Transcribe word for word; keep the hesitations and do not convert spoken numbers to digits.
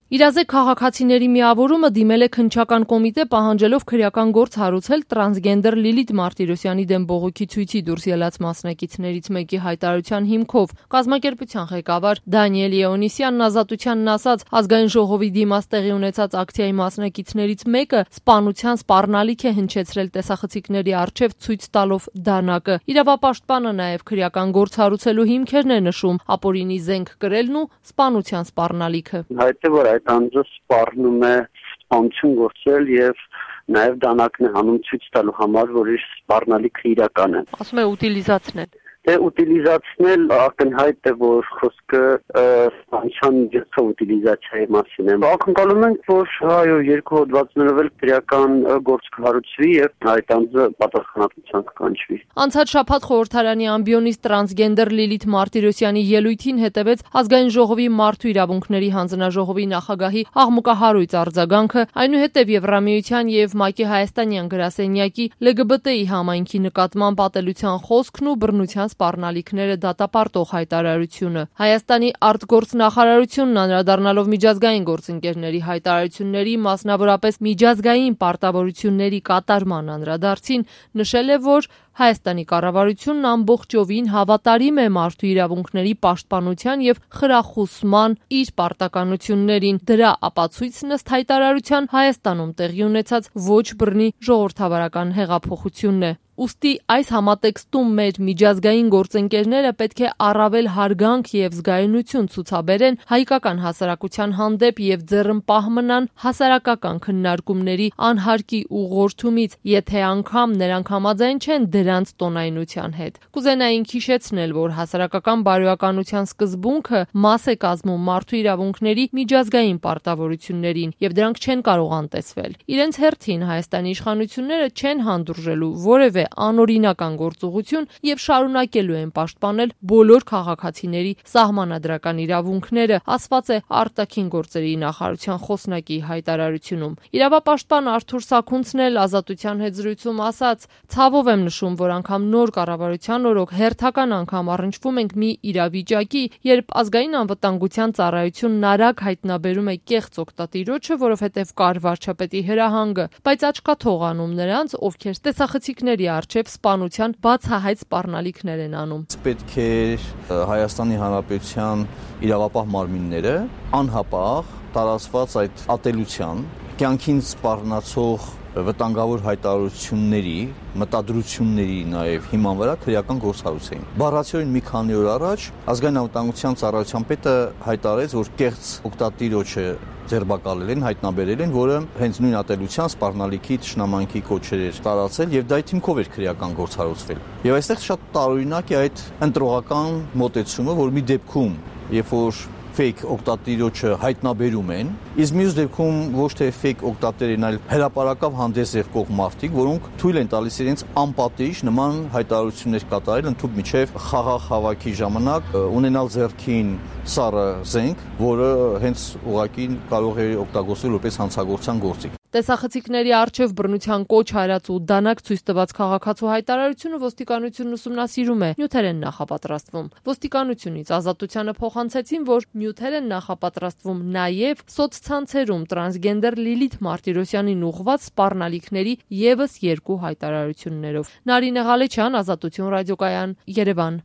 Իրազեկ քաղաքացիների միավորումը դիմել է քննչական կոմիտե պահանջելով քրեական գործ հարուցել տրանսգենդեր Լիլիթ Մարտիրոսյանի դեմ բողոքի ցույցի դուրս ելած մասնակիցներից մեկի հայտարարության հիմքով։ Կազմակերպության ղեկավար Դանիել Եոնիսյանն Ազատությանն ասաց, ազգային ժողովի դիմաց տեղի ունեցած ակցիայի մասնակիցներից մեկը սպանության սպառնալիք է հնչեցրել տեսախցիկների առջև ցույց տալով դանակը։ Իրավապաշտպանը նաև քրեական գործ հարուցելու հիմքերն է նշում, ապօրինի զենք կրելն ու սպանության սպառնալիքը։ Այդ անձը սպառնում է սպանություն գործել եւ նաեւ դանակն է հանում ցույց տալու համար, որ իր սպառնալիքը իրական է։ Ասում է ուտիլիզացնել։ Դե ուտիլիզացնել ակնհայտ է, որ խոսքը սպանության միջոցով ուտիլիզացիայի մասին է։ Ակնկալում ենք, որ այո, երկու հոդվածներով էլ քրեական գործ կհարուցվի եւ այդ անձը պատասխանատվության կկանչվի։ Անցած շաբաթ խորհրդարանի ամբիոնիստ տրանսգենդեր Լիլիթ Մարտիրոսյանի ելույթին հետևեց ազգային ժողովի մարդու իրավունքների հանձնաժողովի նախագահի աղմուկահարույց արձագանքը, այնուհետև Եվրամիության եւ ՄԱԿ-ի հայաստանյան գրասենյակի L G B T I համայնքի նկատմամբ ատելության խոսքն ու բռնության սպառնալիքները դատապարտող հայտարարությունը։ Հայաստանի արտգործնախարարությունն անդրադառնալով միջազգային գործընկերների հայտարարությունների, մասնավորապես միջազգային պարտավորությունների կատարման անդրադարձին, նշել է, որ Հայաստանի կառավարությունն ամբողջովին հավատարիմ է մարդու իրավունքների պաշտպանության եւ խրախուսման իր պարտականություններին։ Դրա ապացույցն ըստ հայտարարության Հայաստանում տեղի ունեցած ոչ բռնի ժողովրդավարական հեղափոխությունն է։ Ուստի այս համատեքստում մեր միջազգային գործընկերները պետք է առավել հարգանք եւ զգայունություն ցուցաբերեն հայկական հասարակության հանդեպ եւ ձեռնպահ մնան հասարակական քննարկումների անհարկի ուղղորդումից, եթե անգամ նրանք համաձայն չեն դրանց տոնայնության հետ։ Կուզենայինք հիշեցնել, որ հասարակական բարոյականության սկզբունքը մաս է կազմում մարդու իրավունքների միջազգային պարտավորություններին եւ դրանք չեն կարող անտեսվել։ Իրենց հերթին Հայաստանի իշխանությունները չեն հանդուրժելու որևէ անօրինական գործողություն եւ շարունակելու են պաշտպանել բոլոր քաղաքացիների սահմանադրական իրավունքները, ասված է արտաքին գործերի նախարարության խոսնակի հայտարարությունում։ Իրավապաշտպան Արթուր Սաքունցն էլ Ազատության հետ զրույցում ասաց. «Ցավով եմ նշում, որ անգամ նոր կառավարության օրոք հերթական անգամ առնչվում ենք մի իրավիճակի, երբ ազգային անվտանգության ծառայությունն արագ հայտնաբերում է կեղծ օգտատիրոջը, որովհետեւ կար վարչապետի հրահանգը, բայց աչքա թող անում նրանց, ովքեր տեսախցիկների առջև սպանության բացահայտ սպառնալիքներ են անում»։ Պետք է Հայաստանի Հանրապետության իրավապահ մարմինները անհապաղ տարածված այդ ատելության, կյանքին սպառնացող վտանգավոր հայտարարությունների, մտադրությունների նաև հիման վրա քրեական գործառույթ էին։ Բառացիորեն մի քանի օր առաջ ազգային անվտանգության ծառայության պետը հայտարարեց, որ կեղծ օգտատիրոջը ձերբակալել են, հայտնաբերել են, որը հենց նույն ատելության սպառնալիքի թշնամանքի կոչեր էր տարածել եւ դա թիմքով էր քրեական գործառույթ։ Եվ այստեղ շատ տարօրինակ է այդ ընտրողական մոտեցումը, որ մի դեպքում, երբ որ fake օգտատիրոջը հայտնաբերում են, իսկ մյուս դեպքում ոչ թե fake օգտատեր են, այլ հրապարակավ հանդես եղող մարդիկ, որոնք թույլ են տալիս իրենց անպատիժ նման հայտարարություններ կատարել ընդհանուր միջև խաղաղ հավաքի ժամանակ ունենալ ձեռքին սառը զենք, որը հենց ուղղակի կարող է օգտագործվել որպես հանցագործության գործիք։ Տեսախցիկների առջև բռնության կոչ հայրած ու դանակ ցույց տված քաղաքացու հայտարարությունը ոստիկանությունն ուսումնասիրում է, նյութեր են նախապատրաստվում։ Ոստիկանությունից Ազատությանը փոխանցեցին, որ նյութեր են նախապատրաստվում նաև սոցցանցերում տրանսգենդեր Լիլիթ Մարտիրոսյանին ուղղված սպառնալիքների եւս երկու հայտարարություններով։ Նարինե Ղալեչյան, Ազատություն ռադիոկայան, Երևան։